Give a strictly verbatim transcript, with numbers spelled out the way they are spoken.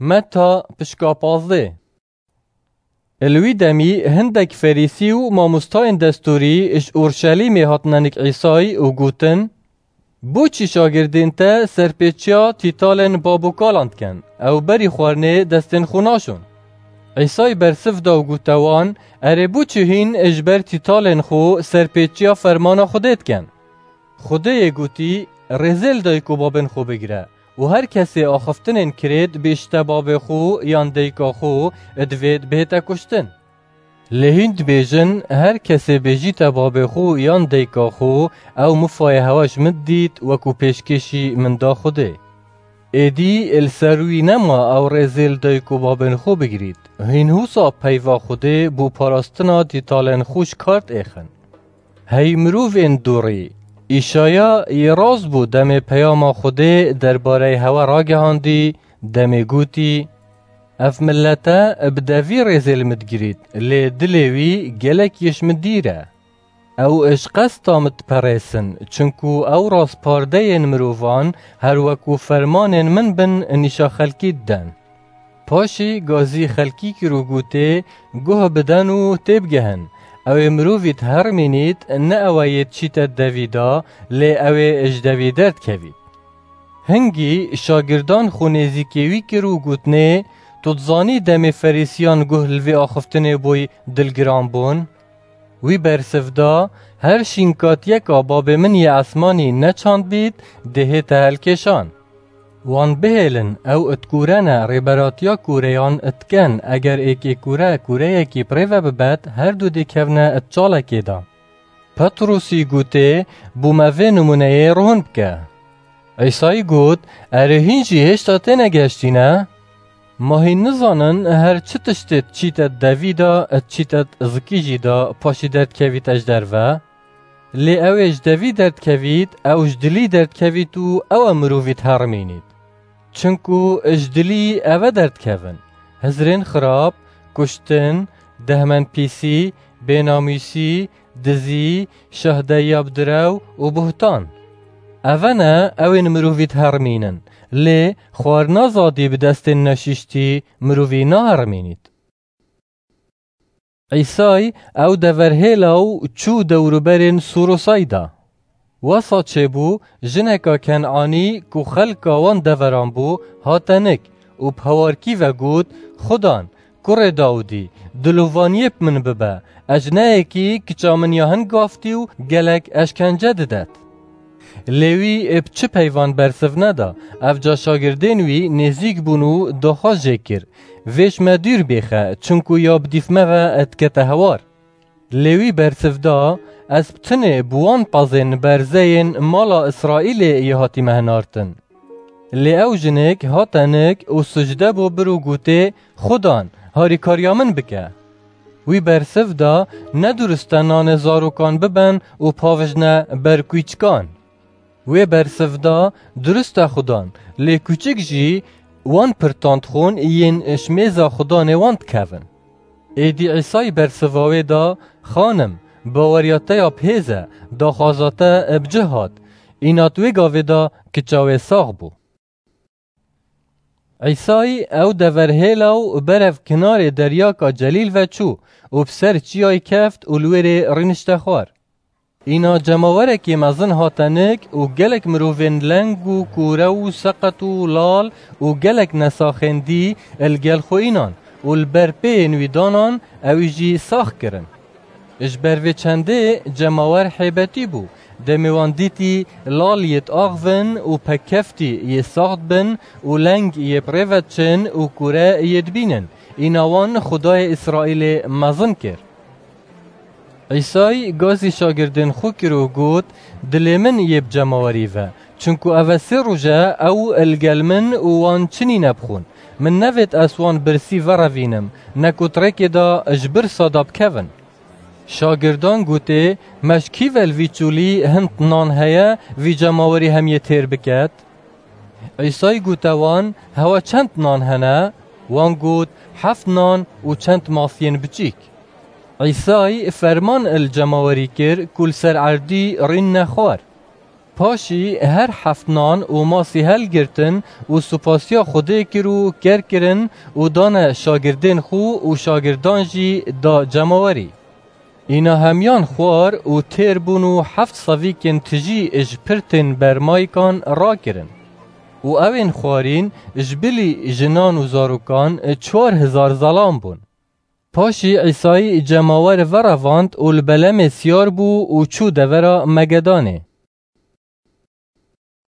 Meta pişka pazdeh. Li wî demî hindek Ferîsî û mamostayên destûrî ji Orşelîmê hatine nik Îsayî û gotin, "Boçî şagirdên te serpêçiya tîtalên babokalan dikin? Ew berî xwarinê destên xwe naşon." Îsayî bersiv da û gote wan, "Erê, boçî hîn ji ber tîtalên xwe serpêçiya fermana Xwedê dikin? Xwedê yê gotî, 'Rêzê li dayik û babên xwe bigire û her kesê axiftinên kirêt bêjite babê xwe yan dayika xwe, divêt bihête kuştin.' Lê hîn dibêjin, 'Her kesê bêjîte babê xwe yan dayika xwe, ew mifayê hewa ji min dît, wekû pêşkêşî min da Xwedê.' Êdî li ser wî nema ew rêzê li dayik û babên xwe bigirît. Hîn husa peyva Xwedê bo parastina tîtalên xwe ji kar diêxin. Hey mirovên dûrî, Îşaya yê rast bû demê peyama Xwedê derbareyê hewa ragihandî, demê gotî, 'Ev milete bi devî rêzê li min digirît, lê dilê wî gelek yê ji min dîr e. Ew ji qesta min diperêsin, çinku ew rastpardeyên mirovan her wekû fermanên min bin nîşa xelkî diden.' Paşî gazî xelkî kir û gotê, 'Guh bidin û têbigehin, ew ê mirovî dihermînît, ne ew e yê diçîte devî de, lê ew ê ji devî derdikevît.' Hingî şagirdan xwe nêzîkê wî kir û gotinê, 'Tu dizanî demê Ferîsiyan guh li vê axiftinê bûy dilgiran bûn?' Wî bersiv da, 'Her şînkatiyeka babê min yê esmanî neçandbît, dê hête helkêşan.' Wan bihêlin, ew dikûrene, rêberatiya kûreyan dikin, eger êkê kûre kûreyekî bi rê ve bibet, her du dê kevne di çalekê de. Petrûsî gotê, 'Bo me vê nimûneyê rohn bike.' Îsayî got, 'Erê, hîn jî hêşta têne gehiştîne? Ma hîn nizanin, her çi tiştê diçîte devî de, diçîte zikî jî de, paşî derdikevîte ji derve? Lê ew ê ji devî derdikevît, ew ji dilî derdikevît û ew e mirovî diherimînît. Çinku ji dilî ev e derdikevin: hizrên xirab, kuştin, dehmend pîsî, bênamûsî, dizî, şahdeyiya bi direw û buhtan. Ev e ne ew ên mirovî diherimînin, lê xwarina zadî bi destên neşîştî mirovî naherimînît. Îsay ew dever hêla û çû dewruberên Sûrosayda. Wesa çêbû, jineka Ken'anî ku xelka wan deveran bû, hate nik û bi hewarkî ve got, Xudan, kurê Dawidî, dilovaniyê bi min bibe, ez ji neyekî kiça min ya hin gaftî û gelek eşkence didet. Lê wî ê bi çi peyvan bersiv neda, evca şagirdên wî nêzîk bûn û daxwaz jê kir, Vê ji me dûr bêxe, çinku ya bi dîf me ve dikete hewar. Lê wî bersiv da, Ez bi tinê bi wan pezên berzeyên mala Îsraîlê yê hatîme hinartin. Lê ew jinik hate nik û sicde bo bir û gotê, Xudan, harîkariya min bike. Wî bersiv da, Ne durist e nanê zarokan biben û pavijne ber kûçikan. Wê bersiv da, Durist e Xudan, lê kûçik jî wan pirtan dixwin yên ji mêza xudanê wan dikevin. Êdî Îsay bersiva wê da, Xanim, baweriya te ya bi hêz e, daxwaza te bi cih hat. Îna di wê gavê de kiça wê sax bû. Îsay ew dever hêla û berev kinarê deryaka Celîl ve çû û bi ser çiyayê keft û li wêrê rînişte xwar. Îna cemawerekî mezin hate nik û gelek mirovên leng û kûre û seqet û lal û gelek nesaxên dî li gel xwe înan û li ber pêyên wî danan, ewî jî sax kirin. Ji ber vê çendê cemawer hêbetî bû. Demê wan dîtî lal yê diaxivin û pekeftî yê sax dibin û leng yê bi rê ve diçin û kûre yê dibînin, îna wan Xwedayê Îsraîlê mezin kir. Îsay gazî şagirdên xwe kir û got, Dilê min yê bi cemawerî ve, çinku ev e sê roj e ew li gel min û wan çi nîne bixwin. Min nevêt ez wan birsî verevînim, ne ku di rêkê de ji birsa de bikevin. Şagirdan gotê, Me ji kî ve li vî çolî hind nan heye, vî cemawerî hemiyê têr biket? Îsay gote wan, Hewa çend nan hene? Wan got, Heft nan û çend masiyên biçîk. Îsay ferman li cemawerî kir ku li ser erdî rînne xwar. Paşî her heft nan û masî helgirtin û supasiya Xwedê kir û ker kirin û dane şagirdên xwe û şagirdan jî da cemawerî. Îna hemiyan xwar û têr bûn û heft sevîkên tijî ji pirtên bermayîkan rakirin. Û ewên xwarîn ji bilî jinan û zarokan çar hezar zelam bûn. Paşî Îsayî cemawer verevand û li belemê siyar bû û çû devera Megedanê.